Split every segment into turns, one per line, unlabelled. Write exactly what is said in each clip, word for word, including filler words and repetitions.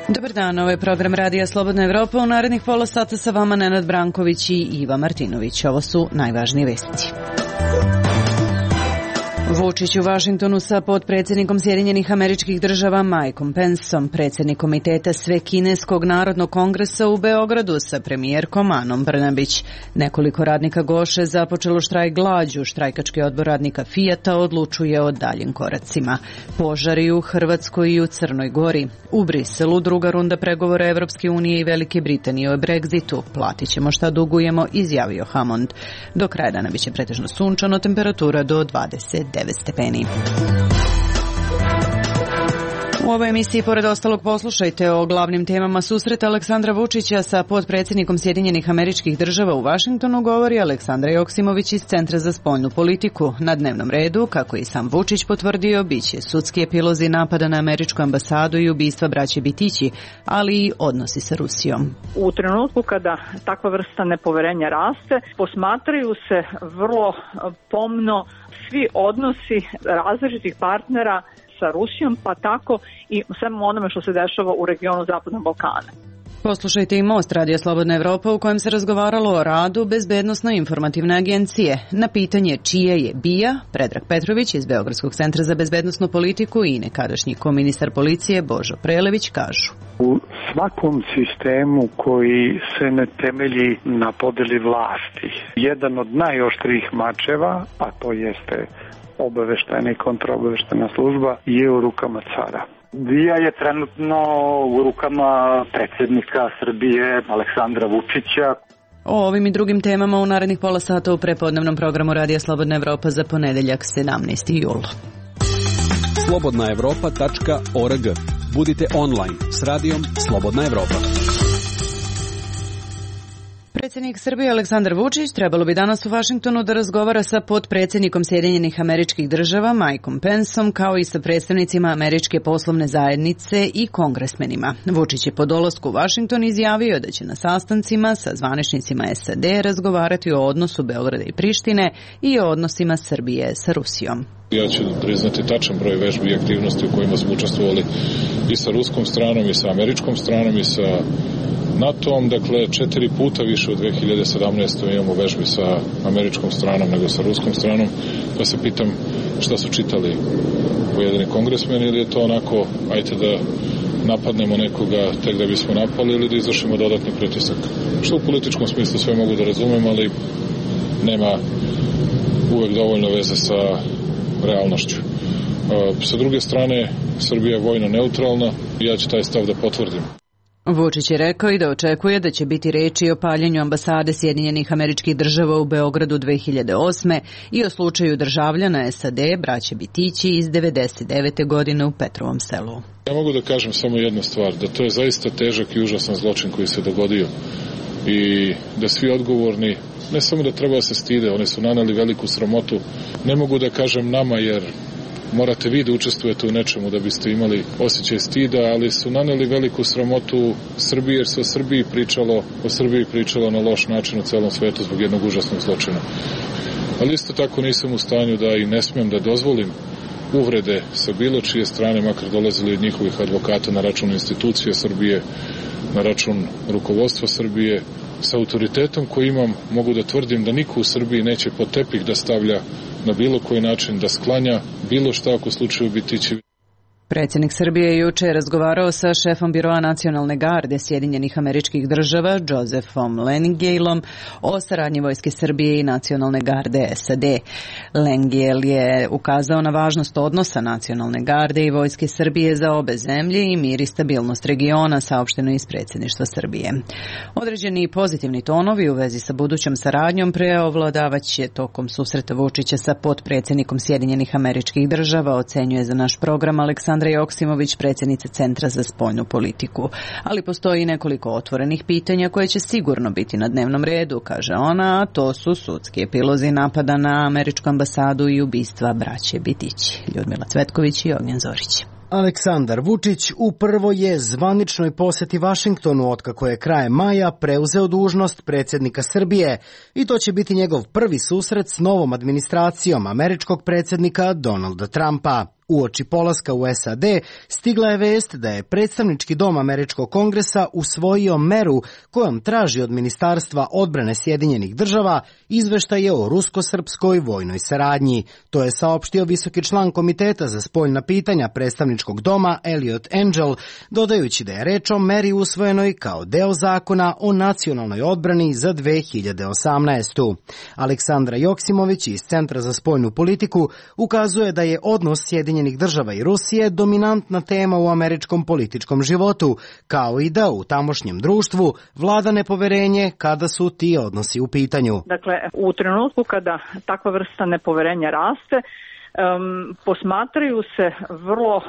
Dobar dan, ovo je program Radija Slobodna Evropa. U narednih pola sata sa vama Nenad Branković i Iva Martinović. Ovo su najvažnije vesti. Vučić u Vašingtonu sa potpredsjednikom Sjedinjenih Američkih Država Mikeom Penceom, predsjednik komiteta Svekineskog narodnog kongresa u Beogradu sa premijerkom Anom Brnabić. Nekoliko radnika Goše započelo štrajk glađu. Štrajkački odbor radnika Fijata odlučuje o daljim koracima. Požari u Hrvatskoj i u Crnoj Gori. U Briselu druga runda pregovora Evropske unije i Velike Britanije o Brexitu. Platit ćemo šta dugujemo, izjavio Hammond. Do kraja dana biće pretežno sunčano, temperatura do dvadeset devet stepeni. U ovoj emisiji, pored ostalog, poslušajte o glavnim temama susreta Aleksandra Vučića sa potpredsjednikom Sjedinjenih Američkih Država u Vašingtonu, govori Aleksandra Joksimović iz Centra za spoljnu politiku. Na dnevnom redu, kako je i sam Vučić potvrdio, biće sudski epilozi napada na američku ambasadu i ubistva braće Bitići, ali i odnosi sa Rusijom.
U trenutku kada takva vrsta nepoverenja raste, posmatraju se vrlo pomno svi odnosi različitih partnera sa Rusijom, pa tako i svemu onome što se dešava u regionu Zapadnog Balkana.
Poslušajte i Most Radija Slobodna Evropa u kojem se razgovaralo o radu Bezbednosno-informativne agencije. Na pitanje čije je B I A, Predrag Petrović iz Beogradskog centra za bezbednosnu politiku i nekadašnji koministar policije Božo Prelević kažu:
U svakom sistemu koji se ne temelji na podeli vlasti, jedan od najoštrijih mačeva, a to jeste obaveštajna i kontraobaveštajna služba, je u rukama cara.
B I A je trenutno u rukama predsjednika Srbije Aleksandra Vučića.
O ovim i drugim temama u narednih pola sata u prepodnevnom programu Radija Slobodna Evropa za ponedeljak sedamnaesti jul.
slobodna evropa tačka org. Budite online s radijom Slobodna Evropa.
Predsjednik Srbije Aleksandar Vučić trebalo bi danas u Vašingtonu da razgovara sa potpredsjednikom Sjedinjenih Američkih Država Mikeom Penceom, kao i sa predstavnicima Američke poslovne zajednice i kongresmenima. Vučić je po dolasku u Vašington izjavio da će na sastancima sa zvaničnicima S A D razgovarati o odnosu Beograda i Prištine i o odnosima Srbije sa Rusijom.
Ja ću priznati tačan broj vežbi i aktivnosti u kojima smo učestvovali i sa ruskom stranom i sa američkom stranom i sa NATO-om, dakle četiri puta više u dve hiljade sedamnaestoj imamo vežbi sa američkom stranom nego sa ruskom stranom, pa se pitam šta su čitali pojedini kongresmeni, ili je to onako, ajte da napadnemo nekoga tek da bismo napali ili da izvršimo dodatni pritisak. Što u političkom smislu sve mogu da razumem, ali nema uvek dovoljno veze sa realnošću. Sa druge strane, Srbija je vojno neutralna i ja ću taj stav da potvrdim.
Vučić je rekao i da očekuje da će biti reči o paljenju ambasade Sjedinjenih Američkih Država u Beogradu dve hiljade osme i o slučaju državljana S A D, braće Bitići iz devedeset devete godine u Petrovom Selu.
Ja mogu da kažem samo jednu stvar, da to je zaista težak i užasan zločin koji se dogodio i da svi odgovorni ne samo da treba da se stide, oni su naneli veliku sramotu. Ne mogu da kažem nama jer morate vi da učestvujete u nečemu da biste imali osjećaj stida, ali su naneli veliku sramotu Srbiji jer se o Srbiji pričalo, o Srbiji pričalo na loš način u celom svetu zbog jednog užasnog zločina. Ali isto tako nisam u stanju da i ne smem da dozvolim uvrede sa bilo čije strane, makar dolazili od njihovih advokata na račun institucije Srbije, na račun rukovodstva Srbije. Sa autoritetom koji imam mogu da tvrdim da niko u Srbiji neće pod tepih da stavlja na bilo koji način, da sklanja bilo šta ako u slučaju Bitići.
Predsjednik Srbije je juče razgovarao sa šefom Biroa nacionalne garde Sjedinjenih Američkih Država, Josephom Lengyelom, o saradnji Vojske Srbije i nacionalne garde S A D. Lengyel je ukazao na važnost odnosa nacionalne garde i Vojske Srbije za obe zemlje i mir i stabilnost regiona, saopšteno iz predsjedništva Srbije. Određeni pozitivni tonovi u vezi sa budućom saradnjom preovladavaće tokom susreta Vučića sa potpredsjednikom Sjedinjenih Američkih Država, ocenjuje za naš program Aleksandra Joksimović, predsjednica Centra za spoljnu politiku. Ali postoji nekoliko otvorenih pitanja koje će sigurno biti na dnevnom redu, kaže ona, a to su sudski epilozi napada na američku ambasadu i ubistva braće Bitići. Ljudmila Cvetković i Ognjen Zorić.
Aleksandar Vučić u prvoj je zvaničnoj poseti Vašingtonu otkako je krajem maja preuzeo dužnost predsjednika Srbije i to će biti njegov prvi susret s novom administracijom američkog predsjednika Donalda Trumpa. Uoči polaska u S A D stigla je vest da je predstavnički dom američkog kongresa usvojio meru kojom traži od Ministarstva odbrane Sjedinjenih država izveštaje o rusko-srpskoj vojnoj saradnji. To je saopštio visoki član Komiteta za spoljna pitanja predstavničkog doma Eliot Engel, dodajući da je reč o meri usvojenoj kao deo zakona o nacionalnoj odbrani za dve hiljade osamnaestu. Aleksandra Joksimović iz Centra za spoljnu politiku ukazuje da je odnos Sjedinjenih država i Rusije dominantna tema u američkom političkom životu, kao i da u tamošnjem društvu vlada nepoverenje kada su ti odnosi u pitanju.
Dakle, u trenutku kada takva vrsta nepoverenja raste, um, posmatraju se vrlo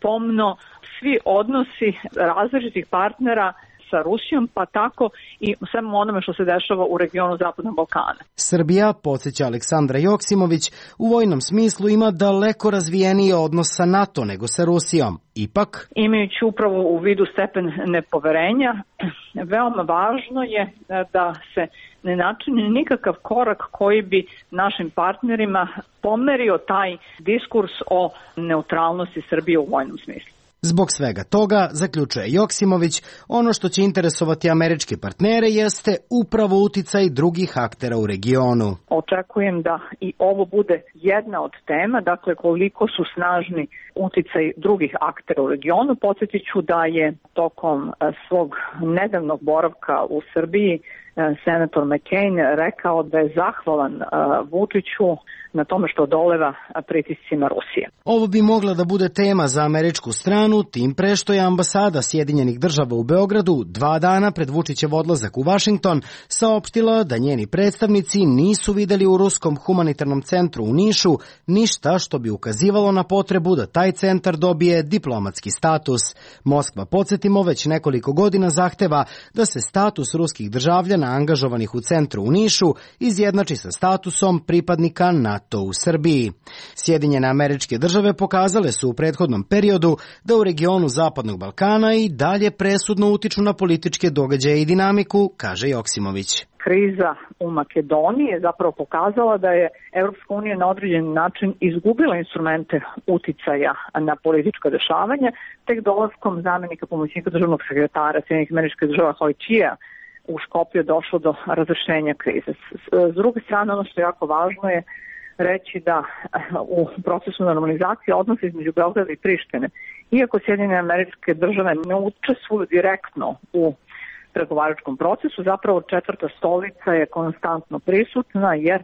pomno svi odnosi različitih partnera sa Rusijom, pa tako i svemu onome što se dešava u regionu Zapadnog Balkana.
Srbija, podsjeća Aleksandra Joksimović, u vojnom smislu ima daleko razvijeniji odnos sa NATO nego sa Rusijom. Ipak,
imajući upravo u vidu stepen nepoverenja, veoma važno je da se ne načini nikakav korak koji bi našim partnerima pomerio taj diskurs o neutralnosti Srbije u vojnom smislu.
Zbog svega toga, zaključuje Joksimović, ono što će interesovati američke partnere jeste upravo uticaj drugih aktera u regionu.
Očekujem da i ovo bude jedna od tema, dakle koliko su snažni uticaj drugih aktera u regionu. Podsjetit ću da je tokom svog nedavnog boravka u Srbiji senator McCain rekao da je zahvalan Vučiću na tome što odoleva pritiscima Rusije.
Ovo bi mogla da bude tema za američku stranu, tim pre što je ambasada Sjedinjenih država u Beogradu dva dana pred Vučićev odlazak u Vašington saopštila da njeni predstavnici nisu videli u Ruskom humanitarnom centru u Nišu ništa što bi ukazivalo na potrebu da taj centar dobije diplomatski status. Moskva, podsjetimo, već nekoliko godina zahteva da se status ruskih državljana angažovanih u centru u Nišu izjednači sa statusom pripadnika NATO u Srbiji. Sjedinjene Američke države pokazale su u prethodnom periodu da u regionu Zapadnog Balkana i dalje presudno utiču na političke događaje i dinamiku, kaže Joksimović.
Kriza u Makedoniji je zapravo pokazala da je Evropska unija na određen način izgubila instrumente uticaja na politička dešavanja, tek dolaskom zamenika pomoćnika državnog sekretara Sjedinjenih Američkih država Hojčija u Škoplju je došlo do razrešenja krize. S druge strane, ono što je jako važno je reći da u procesu normalizacije odnosa između Beograda i Prištine, iako Sjedinjene Američke države ne učestvuju direktno u pregovaračkom procesu, zapravo četvrta stolica je konstantno prisutna jer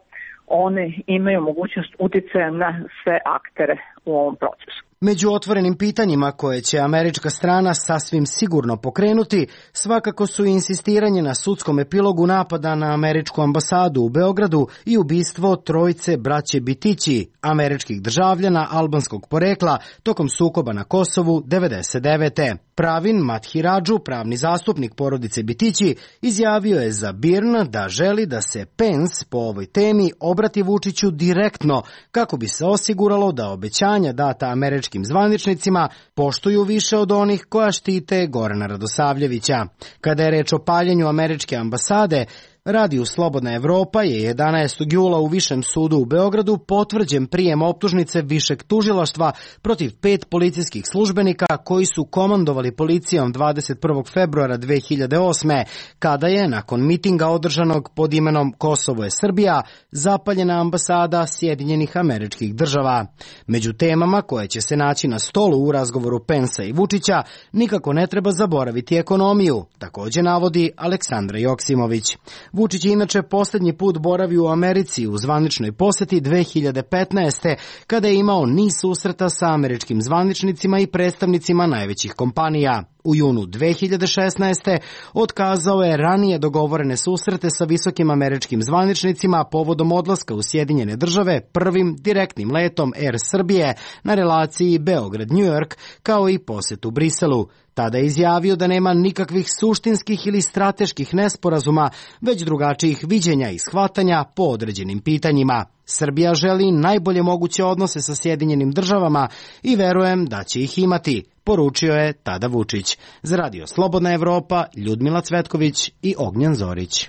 one imaju mogućnost uticaja na sve aktere u ovom procesu.
Među otvorenim pitanjima koje će američka strana sasvim sigurno pokrenuti, svakako su insistiranje na sudskom epilogu napada na američku ambasadu u Beogradu i ubistvo trojice braće Bitići, američkih državljana albanskog porekla, tokom sukoba na Kosovu devedeset devete. Pravin Mathiradžu, pravni zastupnik porodice Bitići, izjavio je za B I R N da želi da se Pence po ovoj temi obrati Vučiću direktno kako bi se osiguralo da obećanja data američkim zvaničnicima poštuju više od onih koja štite Gorana Radosavljevića. Kada je reč o paljenju američke ambasade, Radio Slobodna Evropa je jedanaestog jula u Višem sudu u Beogradu potvrđen prijem optužnice Višeg tužilaštva protiv pet policijskih službenika koji su komandovali policijom dvadeset prvog februara dve hiljade osme. kada je, nakon mitinga održanog pod imenom Kosovo je Srbija, zapaljena ambasada Sjedinjenih Američkih država. Među temama koje će se naći na stolu u razgovoru Pensa i Vučića nikako ne treba zaboraviti ekonomiju, također navodi Aleksandra Joksimović. Vučić je inače posljednji put boravio u Americi u zvaničnoj poseti dve hiljade petnaeste. kada je imao niz susreta sa američkim zvaničnicima i predstavnicima najvećih kompanija. U junu dve hiljade šesnaeste. otkazao je ranije dogovorene susrete sa visokim američkim zvaničnicima povodom odlaska u Sjedinjene države prvim direktnim letom Air Srbije na relaciji Beograd-New York, kao i posetu Briselu. Tada je izjavio da nema nikakvih suštinskih ili strateških nesporazuma, već drugačijih viđenja i shvatanja po određenim pitanjima. Srbija želi najbolje moguće odnose sa Sjedinjenim državama i verujem da će ih imati, poručio je tada Vučić. Za Radio Slobodna Evropa, Ljudmila Cvetković i Ognjan Zorić.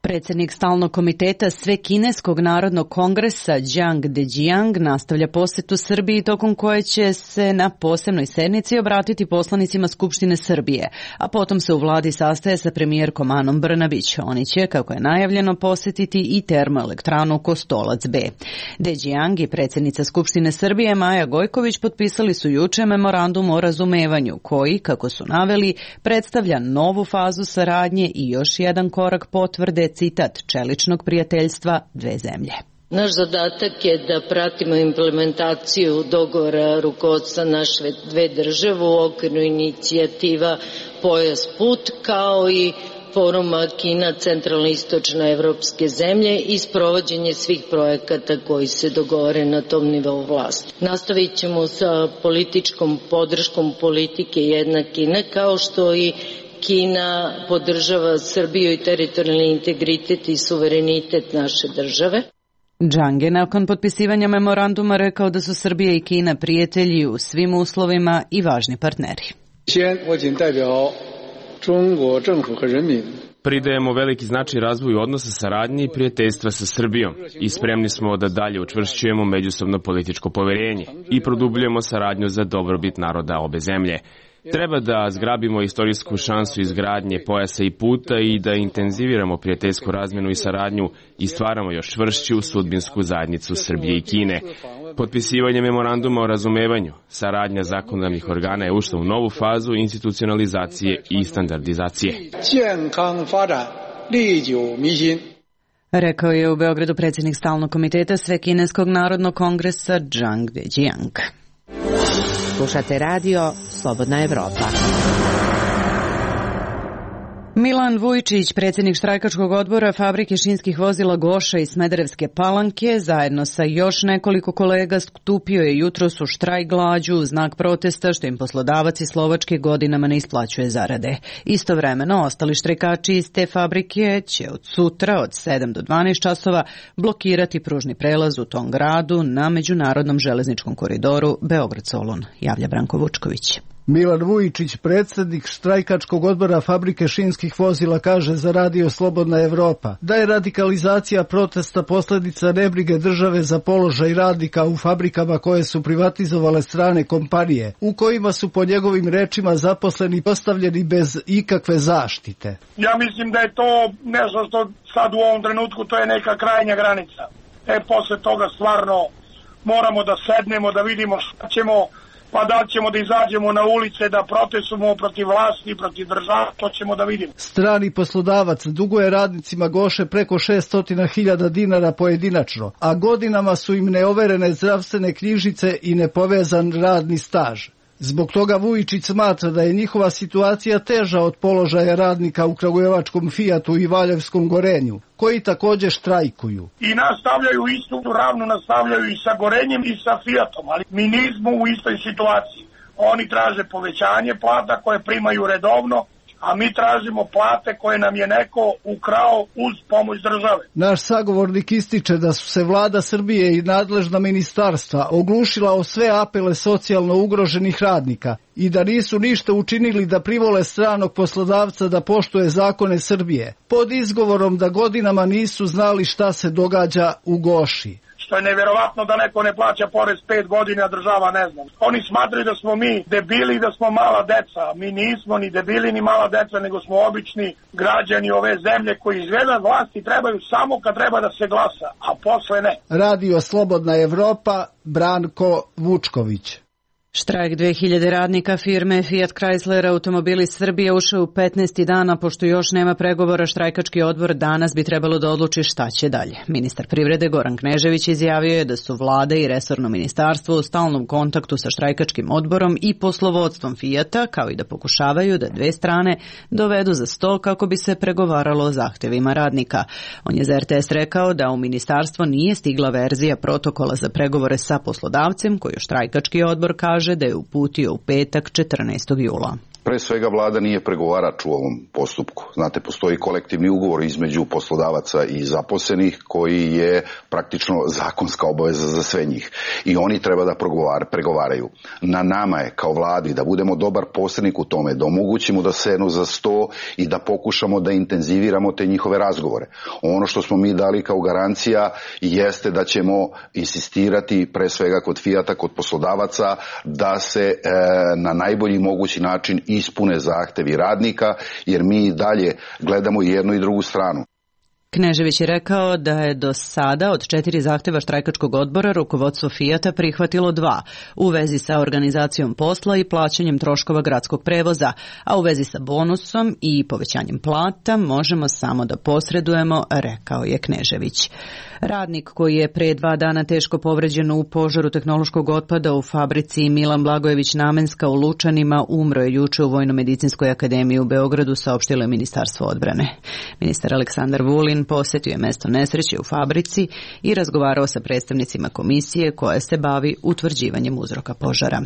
Predsjednik stalnog komiteta Svekineskog narodnog kongresa Jiang Dejiang nastavlja posjetu Srbiji tokom koje će se na posebnoj sednici obratiti poslanicima Skupštine Srbije, a potom se u vladi sastaje sa premijerkom Anom Brnabić. Oni će, kako je najavljeno, posjetiti i termoelektranu Kostolac B. Dejiang i predsjednica Skupštine Srbije Maja Gojković potpisali su juče memorandum o razumevanju koji, kako su naveli, predstavlja novu fazu saradnje i još jedan korak potvrde, citat, čeličnog prijateljstva dve zemlje.
Naš zadatak je da pratimo implementaciju dogovora rukovodstva naše dve države u okviru inicijativa Pojas put, kao i foruma Kina centralno-istočne evropske zemlje i sprovođenje svih projekata koji se dogovore na tom nivou vlasti. Nastavit ćemo sa političkom podrškom politike jedna Kina, kao što i Kina podržava Srbiju i teritorijalni integritet i suverenitet naše države.
Jiang je nakon potpisivanja memoranduma rekao da su Srbija i Kina prijatelji u svim uslovima i važni partneri.
Pridajemo veliki značaj razvoju odnosa saradnje i prijateljstva sa Srbijom i spremni smo da dalje učvršćujemo međusobno političko poverenje i produbljujemo saradnju za dobrobit naroda obe zemlje. Treba da zgrabimo istorijsku šansu izgradnje pojasa i puta i da intenziviramo prijateljsku razmjenu i saradnju i stvaramo još čvršću sudbinsku zajednicu Srbije i Kine. Potpisivanje memoranduma o razumevanju, saradnja zakonodavnih organa je ušla u novu fazu institucionalizacije i standardizacije.
Rekao je u Beogradu predsjednik stalnog komiteta Svekineskog narodnog kongresa Jiang Dejiang.
Slušate radio Slobodna Evropa.
Milan Vujčić, predsjednik štrajkačkog odbora Fabrike šinskih vozila Goša iz Smederevske Palanke, zajedno sa još nekoliko kolega stupio je jutros u štrajk glađu u znak protesta što im poslodavac iz Slovačke godinama ne isplaćuje zarade. Istovremeno, ostali štrajkači iz te fabrike će od sutra od sedam do dvanaest časova blokirati pružni prelaz u tom gradu na međunarodnom železničkom koridoru Beograd-Solun, javlja Branko Vučković.
Milan Vujčić, predsjednik štrajkačkog odbora Fabrike šinskih vozila, kaže za Radio Slobodna Evropa da je radikalizacija protesta posljedica nebrige države za položaj radnika u fabrikama koje su privatizovale strane kompanije, u kojima su po njegovim rečima zaposleni postavljeni bez ikakve zaštite.
Ja mislim da je to nešto što sad u ovom trenutku to je neka krajnja granica. E, posle toga stvarno moramo da sednemo, da vidimo šta ćemo, pa da li ćemo da izađemo na ulice, da protestujemo protiv vlasti, protiv države, to ćemo da vidimo.
Strani poslodavac duguje radnicima Goše preko šesto hiljada dinara pojedinačno, a godinama su im neoverene zdravstvene knjižice i nepovezan radni staž. Zbog toga Vujčić smatra da je njihova situacija teža od položaja radnika u kragujevačkom Fijatu i Valjevskom Gorenju, koji također štrajkuju.
I nastavljaju istu ravnu, nastavljaju i sa Gorenjem i sa Fijatom, ali mi nismo u istoj situaciji. Oni traže povećanje plata koje primaju redovno, a mi tražimo plate koje nam je neko ukrao uz pomoć države.
Naš sagovornik ističe da su se vlada Srbije i nadležna ministarstva oglušila o sve apele socijalno ugroženih radnika i da nisu ništa učinili da privole stranog poslodavca da poštuje zakone Srbije, pod izgovorom da godinama nisu znali šta se događa u Goši.
Što je neverovatno da neko ne plaća porez pet godina, a država ne zna. Oni smatraju da smo mi debili i da smo mala deca. Mi nismo ni debili ni mala deca, nego smo obični građani ove zemlje koji izgleda vlasti trebaju samo kad treba da se glasa, a posle ne.
Radio Slobodna Evropa, Branko Vučković.
Štrajk dve hiljade radnika firme Fiat Chrysler Automobili Srbije ušao u petnaesti dana, pošto još nema pregovora. Štrajkački odbor danas bi trebalo da odluči šta će dalje. Ministar privrede Goran Knežević izjavio je da su vlada i resorno ministarstvo u stalnom kontaktu sa štrajkačkim odborom i poslovodstvom Fijata, kao i da pokušavaju da dve strane dovedu za sto kako bi se pregovaralo o zahtevima radnika. On je za er te es rekao da u ministarstvo nije stigla verzija protokola za pregovore sa poslodavcem, koju štrajkački odbor kaže da je uputio u petak četrnaestog jula.
Pre svega vlada nije pregovarač u ovom postupku. Znate, postoji kolektivni ugovor između poslodavaca i zaposlenih koji je praktično zakonska obaveza za sve njih. I oni treba da pregovaraju. Na nama je kao vladi da budemo dobar posrednik u tome, da omogućimo da sednu za sto i da pokušamo da intenziviramo te njihove razgovore. Ono što smo mi dali kao garancija jeste da ćemo insistirati pre svega kod Fijata, kod poslodavaca, da se e, na najbolji mogući način ispune zahtevi radnika, jer mi dalje gledamo jednu i drugu stranu.
Knežević je rekao da je do sada od četiri zahteva štrajkačkog odbora rukovodstvo Fijata prihvatilo dva u vezi sa organizacijom posla i plaćanjem troškova gradskog prevoza, a u vezi sa bonusom i povećanjem plata možemo samo da posredujemo, rekao je Knežević. Radnik koji je pre dva dana teško povređen u požaru tehnološkog otpada u fabrici Milan Blagojević Namenska u Lučanima umro je juče u Vojno-medicinskoj akademiji u Beogradu, saopštilo je Ministarstvo odbrane. Ministar Aleksandar Vulin posetio je mesto nesreće u fabrici i razgovarao sa predstavnicima komisije koja se bavi utvrđivanjem uzroka požara.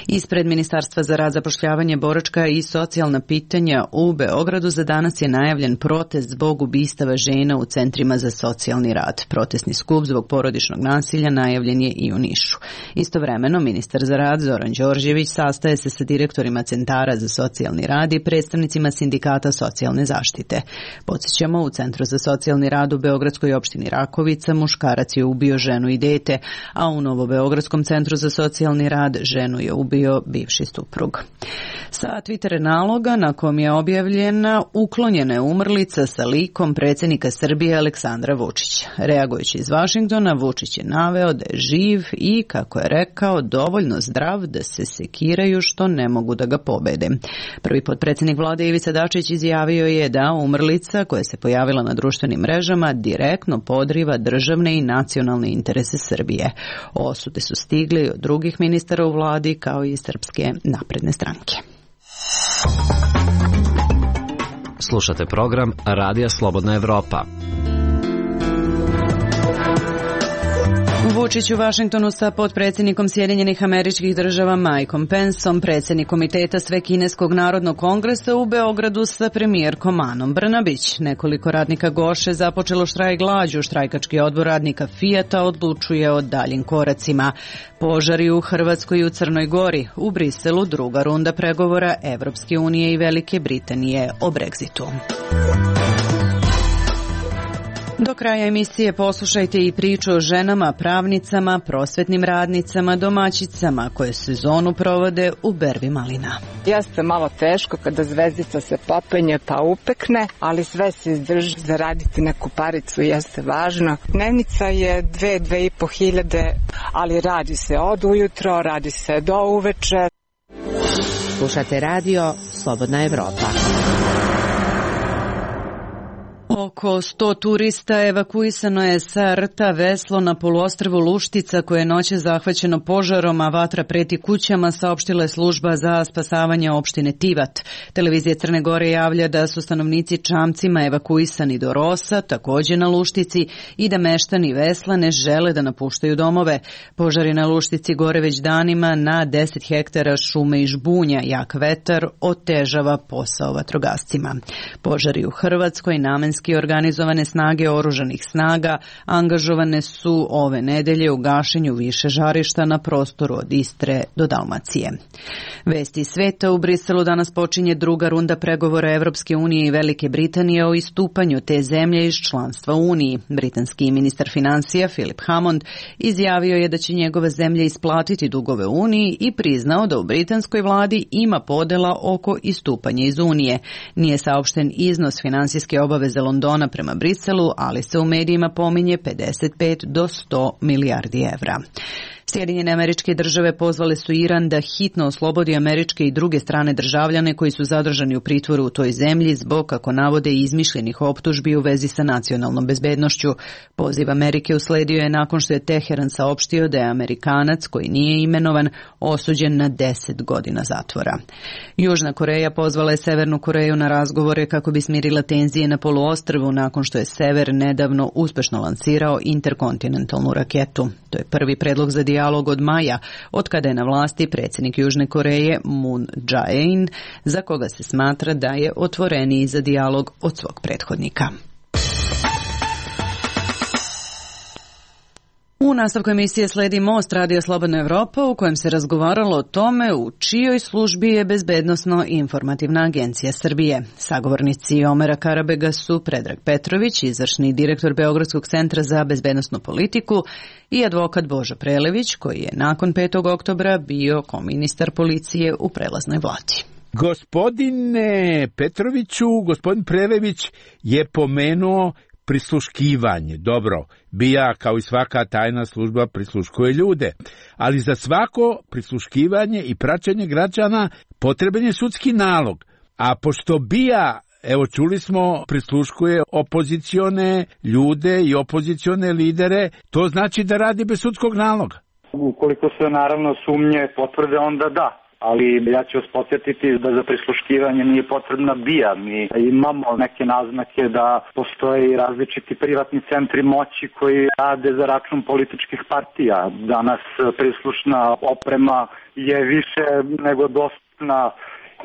Ispred Ministarstva za rad, zapošljavanje, boračka i socijalna pitanja u Beogradu za danas je najavljen protest zbog ubistava žena u centrima za socijalni rad. Protestni skup zbog porodičnog nasilja najavljen je i u Nišu. Istovremeno, ministar za rad Zoran Đorđević sastaje se sa direktorima centara za socijalni rad i predstavnicima sindikata socijalne zaštite. Podsjećamo, u Centru za socijalni rad u Beogradskoj opštini Rakovica muškarac je ubio ženu i dete, a u Novobeogradskom centru za socijalni rad ženu je ubio bivši suprug. Sa Twitter naloga na kom je objavljena uklonjena je umrlica sa likom predsjednika Srbije Aleksandra Vučića. Reagujući iz Vašingtona, Vučić je naveo da je živ i, kako je rekao, dovoljno zdrav da se sekiraju što ne mogu da ga pobede. Prvi potpredsjednik vlade Ivica Dačić izjavio je da umrlica koja se pojavila na društvenim mrežama direktno podriva državne i nacionalne interese Srbije. Osude su stigli od drugih ministara u vladi kao i Srpske napredne stranke.
Slušate program Radija Slobodna Evropa.
Vučić u Vašingtonu sa potpredsjednikom Sjedinjenih Američkih Država Mikeom Penceom, predsjednik Komiteta Svekineskog narodnog kongresa u Beogradu sa premijerkom Anom Brnabić. Nekoliko radnika Goše započelo štrajk glađu. Štrajkački odbor radnika Fijata odlučuje o daljim koracima. Požari u Hrvatskoj i u Crnoj Gori. U Briselu druga runda pregovora Evropske unije i Velike Britanije o Brexitu. Do kraja emisije poslušajte i priču o ženama, pravnicama, prosvetnim radnicama, domaćicama koje sezonu provode u berbi malina.
Jeste malo teško kada zvezdica se popenje pa upekne, ali sve se izdrži, zaraditi neku paricu jeste važno. Dnevnica je dve, dve i po hiljade, ali radi se od ujutro, radi se do uveče.
Slušate radio Slobodna Evropa.
Oko sto turista evakuisano je sa rta Veslo na poluostrvu Luštica koje je noće zahvaćeno požarom, a vatra preti kućama, saopštila je služba za spasavanje opštine Tivat. Televizija Crne Gore javlja da su stanovnici čamcima evakuisani do Rosa, također na Luštici, i da meštani Vesla ne žele da napuštaju domove. Požari na Luštici gore već danima, na deset hektara šume i žbunja. Jak vetar otežava posao vatrogascima. Požari u Hrvatskoj, namenski organizovane snage oružanih snaga angažovane su ove nedelje u gašenju više žarišta na prostoru od Istre do Dalmacije. Vesti sveta: u Briselu danas počinje druga runda pregovora Evropske unije i Velike Britanije o istupanju te zemlje iz članstva u Uniji. Britanski ministar financija Philip Hammond izjavio je da će njegova zemlja isplatiti dugove Uniji i priznao da u britanskoj vladi ima podela oko istupanja iz Unije. Nije saopšten iznos finansijske obaveze Londona prema Briselu, ali se u medijima pominje pedeset pet do sto milijardi evra. Sjedinjene Američke Države pozvale su Iran da hitno oslobodi američke i druge strane državljane koji su zadržani u pritvoru u toj zemlji zbog, kako navode, izmišljenih optužbi u vezi sa nacionalnom bezbednošću. Poziv Amerike usledio je nakon što je Teheran saopštio da je Amerikanac koji nije imenovan osuđen na deset godina zatvora. Južna Koreja pozvala je Severnu Koreju na razgovore kako bi smirila tenzije na poluostrvu nakon što je Sever nedavno uspešno lansirao interkontinentalnu raketu. To je prvi predlog za dijalog dijalog od maja, od kada je na vlasti predsjednik Južne Koreje Moon Jae-in, za koga se smatra da je otvoreniji za dijalog od svog prethodnika. U nastavku emisije sledi Most Radija Slobodna Evropa, u kojem se razgovaralo o tome u čijoj službi je Bezbednosno-informativna agencija Srbije. Sagovornici Omera Karabega su Predrag Petrović, izvršni direktor Beogradskog centra za bezbednosnu politiku, i advokat Božo Prelević, koji je nakon petog oktobra bio koministar policije u prelaznoj vladi.
Gospodine Petroviću, gospodin Prelević je pomenuo prisluškivanje. Dobro, B I A kao i svaka tajna služba prisluškuje ljude, ali za svako prisluškivanje i praćenje građana potreban je sudski nalog. A pošto B I A, evo čuli smo, prisluškuje opozicione ljude i opozicione lidere, to znači da radi bez sudskog naloga.
Ukoliko se naravno sumnje potvrde, onda da. Ali ja ću vas podsjetiti da za prisluškivanje nije potrebna B I A. Mi imamo neke naznake da postoje različiti privatni centri moći koji rade za račun političkih partija. Danas prislušna oprema je više nego dostupna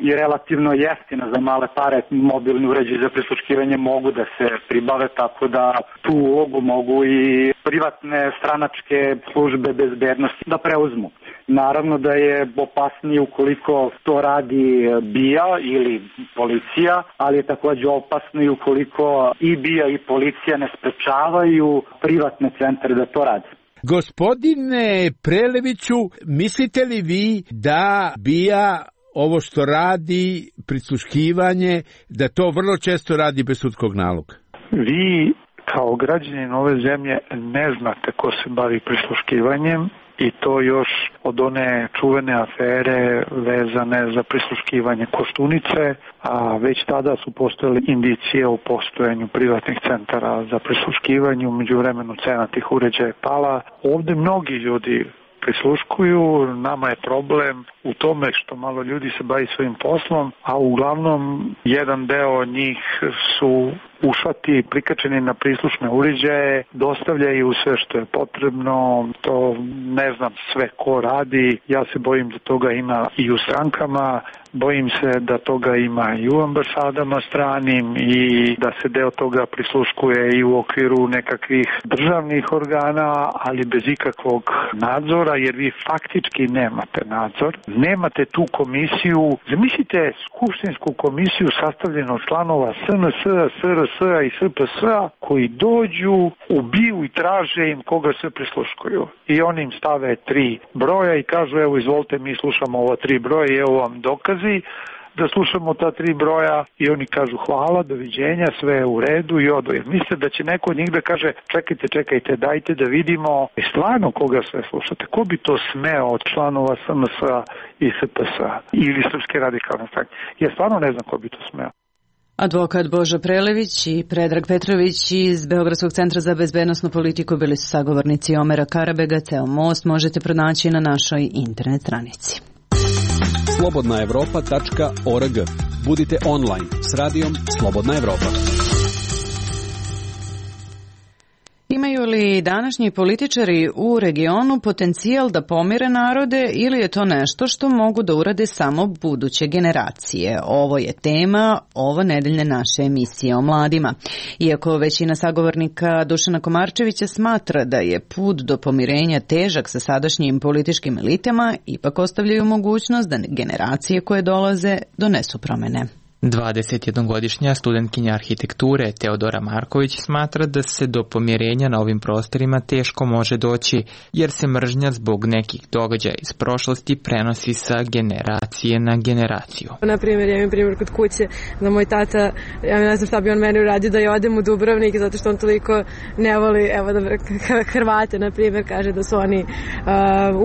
i relativno jeftina za male pare. Mobilni uređaji za prisluškivanje mogu da se pribave, tako da tu ulogu mogu i privatne stranačke službe bezbednosti da preuzmu. Naravno da je opasnije ukoliko to radi B I A ili policija, ali je takođe opasno i ukoliko i B I A i policija ne sprečavaju privatne centre da to rade.
Gospodine Preleviću, mislite li vi da B I A ovo što radi, prisluškivanje, da to vrlo često radi bez sudskog naloga?
Vi kao građanin ove zemlje ne znate ko se bavi prisluškivanjem, i to još od one čuvene afere vezane za prisluškivanje Koštunice, a već tada su postojale indicije o postojanju privatnih centara za prisluškivanje. U međuvremenu cena tih uređaja je pala. Ovde mnogi ljudi prisluškuju, nama je problem u tome što malo ljudi se bavi svojim poslom, a uglavnom jedan deo njih su ušati, prikačeni na prislušne uređaje, dostavljaju sve što je potrebno, to ne znam sve ko radi, ja se bojim da toga ima i u strankama, bojim se da toga ima i u ambasadama stranim i da se deo toga prisluškuje i u okviru nekakvih državnih organa, ali bez ikakvog nadzora, jer vi faktički nemate nadzor. Nemate tu komisiju, zamislite skupštinsku komisiju sastavljenu od članova S N S, S R S i S P S koji dođu, ubiju i traže im koga se prisluškuju. I oni im stave tri broja i kažu evo izvolite mi slušamo ova tri broja i evo vam dokazi da slušamo ta tri broja i oni kažu hvala, doviđenja, sve je u redu i odu. Jer mislite da će neko od njih da kaže čekajte, čekajte, dajte da vidimo i stvarno koga sve slušate. Ko bi to smeo od članova S N S i S P S ili Srpske radikalne stranke? Ja stvarno ne znam ko bi to smeo.
Advokat Božo Prelević i Predrag Petrović iz Beogradskog centra za bezbednosnu politiku bili su sagovornici Omera Karabega. Ceo most možete pronaći na našoj internet stranici.
slobodna evropa tačka org. Budite online s radijom Slobodna Evropa.
Imaju li današnji političari u regionu potencijal da pomire narode ili je to nešto što mogu da urade samo buduće generacije? Ovo je tema ovo nedeljne naše emisije o mladima. Iako većina sagovornika Dušana Komarčevića smatra da je put do pomirenja težak sa sadašnjim političkim elitama, ipak ostavljaju mogućnost da generacije koje dolaze donesu promene.
dvadesetjednogodišnja studentkinja arhitekture Teodora Marković smatra da se do pomirenja na ovim prostorima teško može doći, jer se mržnja zbog nekih događaja iz prošlosti prenosi sa generacije na generaciju.
Na primjer, ja imam primjer kod kuće da moj tata, ja ne znam šta bi on meni uradio da ja odem u Dubrovnik zato što on toliko ne voli, evo da Hrvate, na primjer, kaže da su oni uh,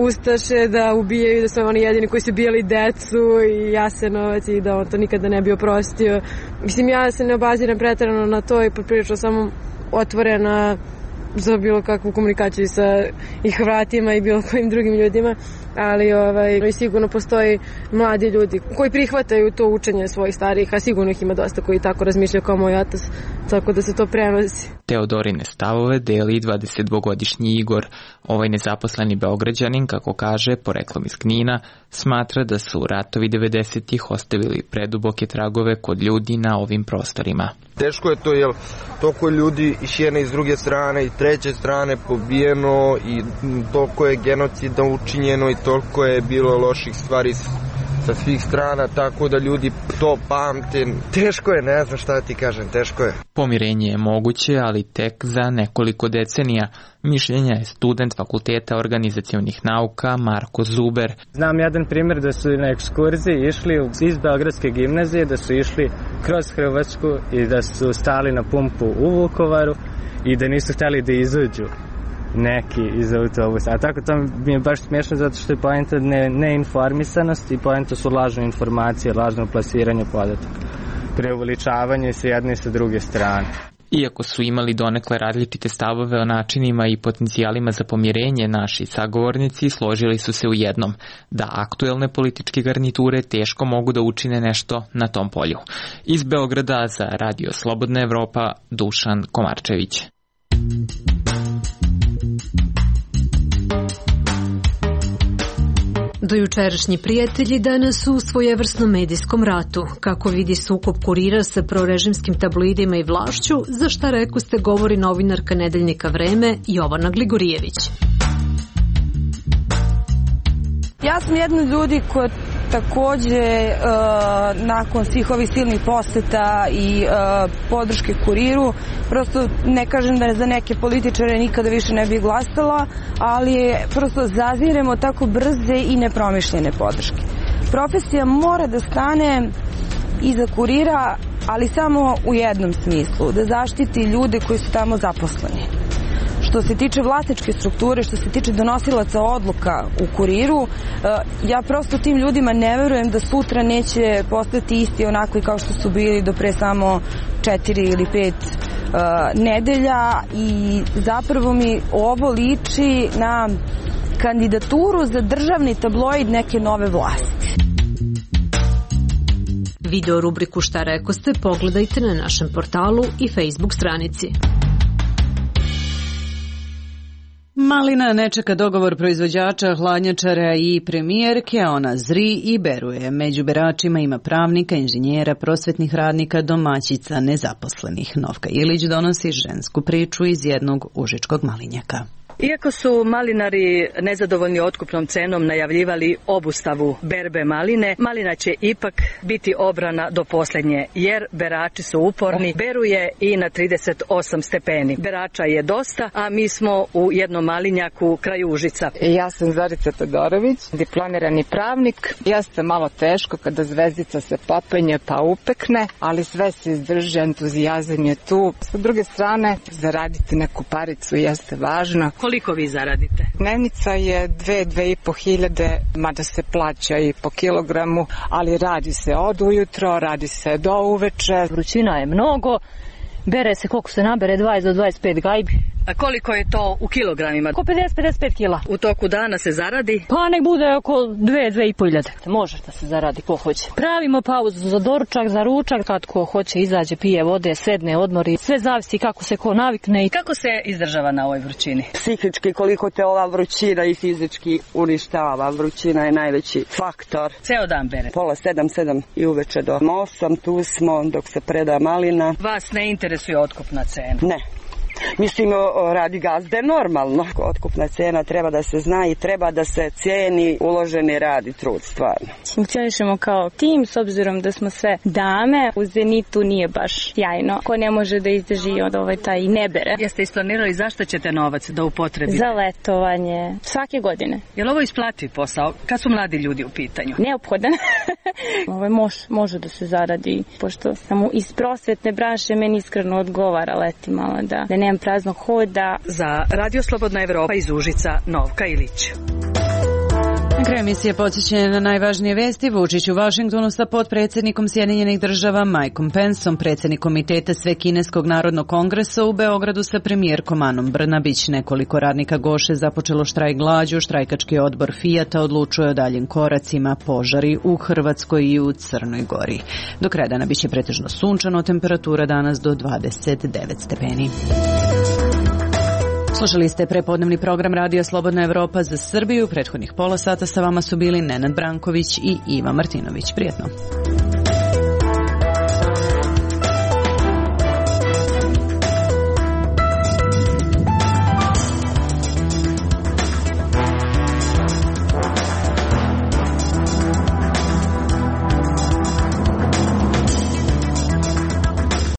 ustaše, da ubijaju, da su oni jedini koji su bijeli decu i Jasenovac i da on to nikada ne bio prostio. Mislim, ja se ne obaziram preterano na to i poprilično sam otvorena za bilo kakvu komunikaciju sa i Hrvatima i bilo kojim drugim ljudima, ali ovaj, sigurno postoji mladi ljudi koji prihvataju to učenje svojih starih, a sigurno ih ima dosta koji tako razmišljaju kao moj otac, tako da se to prenosi.
Teodorine stavove deli dvadesetdvogodišnji Igor. Ovaj nezaposleni Beograđanin, kako kaže, poreklom iz Knina, smatra da su ratovi devedesetih ostavili preduboke tragove kod ljudi na ovim prostorima.
Teško je to, jer toliko ljudi iz jedne i s druge strane i treće strane pobijeno i toliko je genocida učinjeno i toliko je bilo loših stvari sa svih strana, tako da ljudi to pamte. Teško je, ne znam šta ti kažem, teško je.
Pomirenje je moguće, ali tek za nekoliko decenija. Mišljenja je student Fakulteta organizacionih nauka Marko Zuber.
Znam jedan primjer da su na ekskurziji išli iz Beogradske gimnazije, da su išli kroz Hrvatsku i da su stali na pumpu u Vukovaru i da nisu htjeli da izađu neki iz autobusa. A tako to mi je baš smiješno zato što je poenta ne, neinformisanost i poenta su lažne informacije, lažno plasiranje podataka. Preuveličavanje sa jedne i sa druge strane.
Iako su imali donekle različite stavove o načinima i potencijalima za pomirenje, naši sagovornici složili su se u jednom, da aktuelne političke garniture teško mogu da učine nešto na tom polju. Iz Beograda za Radio Slobodna Evropa, Dušan Komarčević.
Dojučerašnji prijatelji danas su u svojevrsnom medijskom ratu. Kako vidi sukob Kurira sa prorežimskim tabloidima i vlašću, za šta rekoste govori novinarka nedeljnika Vreme Jovana Gligorijević.
Ja sam jedna od ljudi koja takođe e, nakon svih ovih silnih poseta i e, podrške Kuriru, prosto ne kažem da za neke političare nikada više ne bi glasala, ali prosto zaziremo tako brze i nepromišljene podrške. Profesija mora da stane iza Kurira, ali samo u jednom smislu, da zaštiti ljude koji su tamo zaposleni. Što se tiče vlasničke strukture, što se tiče donosilaca odluka u Kuriru, ja prosto tim ljudima ne verujem da sutra neće postati isti onako kao što su bili do pre samo četiri ili pet nedelja i zapravo mi ovo liči na kandidaturu za državni tabloid neke nove vlasti.
Video rubriku Šta rekoste pogledajte na našem portalu i Facebook stranici.
Malina ne čeka dogovor proizvođača, hladnjačara i premijerke, ona zri i beruje. Među beračima ima pravnika, inženjera, prosvetnih radnika, domaćica, nezaposlenih. Novka Ilić donosi žensku priču iz jednog užičkog malinjaka.
Iako su malinari nezadovoljni otkupnom cenom najavljivali obustavu berbe maline, malina će ipak biti obrana do posljednje, jer berači su uporni, beruje i na trideset osam stepeni. Berača je dosta, a mi smo u jednom malinjaku kraj Užica.
Ja sam Zorica Todorović, diplomirani pravnik. Jeste malo teško kada zvezdica se popenje pa upekne, ali sve se izdrži, entuzijazam je tu. Sa druge strane, zaraditi neku paricu jeste važno.
Koliko vi zaradite?
Dnevnica je dve, dve i po hiljade, mada se plaća i po kilogramu, ali radi se od ujutro, radi se do uveče.
Vrućina je mnogo, bere se koliko se nabere, dvadeset do dvadeset pet gajbi. A koliko je to u kilogramima?
Oko pedeset do pedeset pet kila.
U toku dana se zaradi?
Pa nek bude oko dve, dve i po hiljade. Može da se zaradi ko hoće. Pravimo pauzu za doručak, za ručak, kad ko hoće izađe, pije vode, sedne, odmori. Sve zavisi kako se ko navikne.
I kako se izdržava na ovoj vrućini?
Psihički koliko te ova vrućina i fizički uništava. Vrućina je najveći faktor.
Ceo dan bere?
Pola sedam, sedam i uveče do osam, tu smo dok se preda malina.
Vas ne interesuje otkupna cena?
Ne. Mislim, radi gazde normalno. Otkupna cena treba da se zna i treba da se cijeni uloženi rad i trud, stvarno.
Funkcionišemo kao tim, s obzirom da smo sve dame. U Zenitu nije baš jajno. Ko ne može da izdrži od ovaj taj ne bere.
Jeste isplanirali zašto ćete novac da upotrebite?
Za letovanje. Svake godine.
Je li ovo isplativ posao? Kad su mladi ljudi u pitanju?
Neophodan. Ovo može, može da se zaradi, pošto samo iz prosvetne branše meni iskreno odgovara leti malo da, da nemam praznog hoda.
Za Radio Slobodna Evropa iz Užica, Novka Ilić.
kraju emisije podsjećanje na najvažnije vesti. Vučić u Vašingtonu sa potpredsjednikom Sjedinjenih država Mikeom Penceom, predsjednik komiteta Svekineskog narodnog kongresa u Beogradu sa premijerkom Anom Brnabić. Nekoliko radnika Goše započelo štrajk glađu, štrajkački odbor Fijata odlučuje o daljim koracima, požari u Hrvatskoj i u Crnoj Gori. Do kraja dana biće pretežno sunčano, temperatura danas do dvadeset devet stepeni. Slušali ste prepodnevni program Radija Slobodna Evropa za Srbiju. Prethodnih pola sata sa vama su bili Nenad Branković i Iva Martinović. Prijetno.